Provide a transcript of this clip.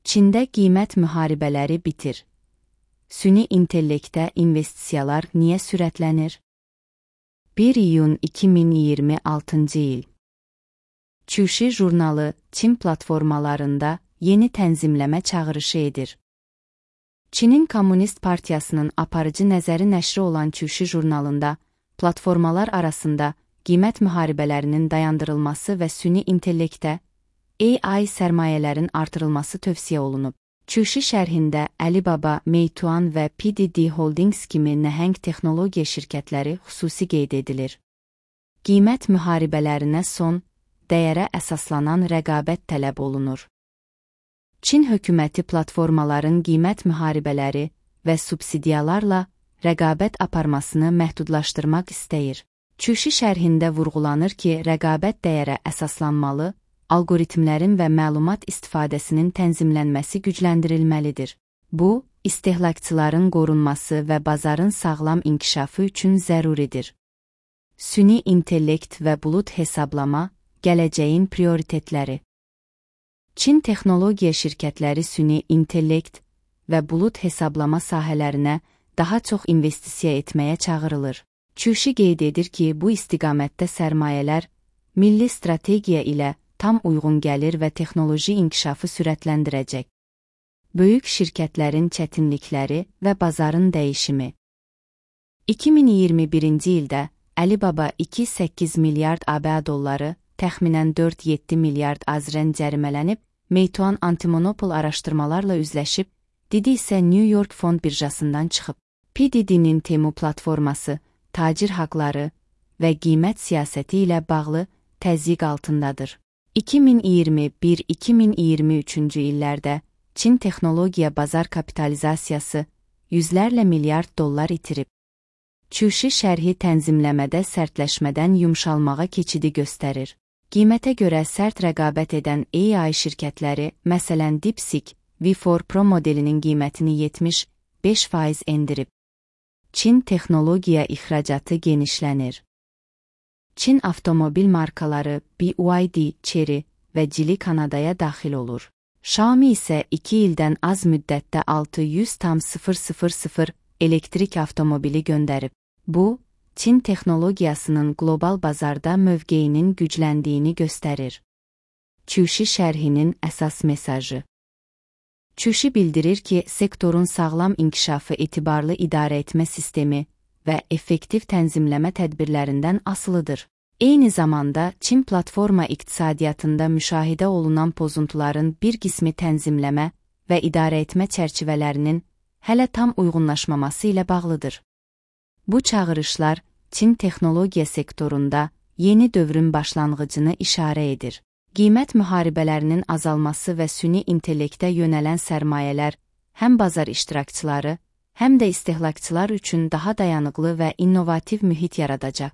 Çində qiymət müharibələri bitir. Süni intellektə investisiyalar niyə sürətlənir? 1 iyun 2026 il. Çuşi jurnalı Çin platformalarında yeni tənzimləmə çağırışı edir. Çinin Komünist Partiyasının aparıcı nəzəri nəşri olan Çuşi jurnalında platformalar arasında qiymət müharibələrinin dayandırılması və süni intellektə AI sərmayələrin artırılması tövsiyə olunub. Çuşi şərhində Alibaba, Meituan və PDD Holdings kimi nəhəng texnologiya şirkətləri xüsusi qeyd edilir. Qiymət müharibələrinə son, dəyərə əsaslanan rəqabət tələb olunur. Çin hökuməti platformaların qiymət müharibələri və subsidiyalarla rəqabət aparmasını məhdudlaşdırmaq istəyir. Çuşi şərhində vurğulanır ki, rəqabət dəyərə əsaslanmalı, algoritmlərin və məlumat istifadəsinin tənzimlənməsi gücləndirilməlidir. Bu, istehlakçıların qorunması və bazarın sağlam inkişafı üçün zəruridir. Süni intellekt və bulut hesablama, gələcəyin prioritetləri. Çin texnologiya şirkətləri süni intellekt və bulut hesablama sahələrinə daha çox investisiya etməyə çağırılır. Çuşi qeyd edir ki, bu istiqamətdə sərmayələr milli strategiya ilə tam uyğun gəlir və texnoloji inkişafı sürətləndirəcək. Böyük şirkətlərin çətinlikləri və bazarın dəyişimi. 2021-ci ildə Alibaba 2,8 milyard ABŞ dolları, təxminən 4,7 milyard AZRN cərimələnib, Meituan antimonopol araşdırmalarla üzləşib, Didi isə New York fond birjasından çıxıb. PDD'nin Temu platforması, tacir haqları və qiymət siyasəti ilə bağlı təzyiq altındadır. 2021-2023-cü illərdə Çin texnologiya bazar kapitalizasiyası yüzlərlə milyard dollar itirib. Çuşi şərhi tənzimləmədə sərtləşmədən yumşalmağa keçidi göstərir. Qiymətə görə sərt rəqabət edən AI şirkətləri, məsələn DeepSeek, V4 Pro modelinin qiymətini 75% endirib. Çin texnologiya ixracatı genişlənir. Çin avtomobil markaları BYD, Chery və Geely Kanadaya daxil olur. Xiaomi isə 2 ildən az müddətdə 600,000 elektrik avtomobili göndərib. Bu, Çin texnologiyasının qlobal bazarda mövqeyinin gücləndiyini göstərir. Çuşi şərhinin əsas mesajı. Çuşi bildirir ki, sektorun sağlam inkişafı etibarlı idarəetmə sistemi və effektiv tənzimləmə tədbirlərindən asılıdır. Eyni zamanda, Çin platforma iqtisadiyyatında müşahidə olunan pozuntuların bir qismi tənzimləmə və idarəetmə çərçivələrinin hələ tam uyğunlaşmaması ilə bağlıdır. Bu çağırışlar Çin texnologiya sektorunda yeni dövrün başlanğıcını işarə edir. Qiymət müharibələrinin azalması və süni intellektə yönələn sərmayələr həm bazar iştirakçıları, həm də istehlakçılar üçün daha dayanıqlı və innovativ mühit yaradacaq.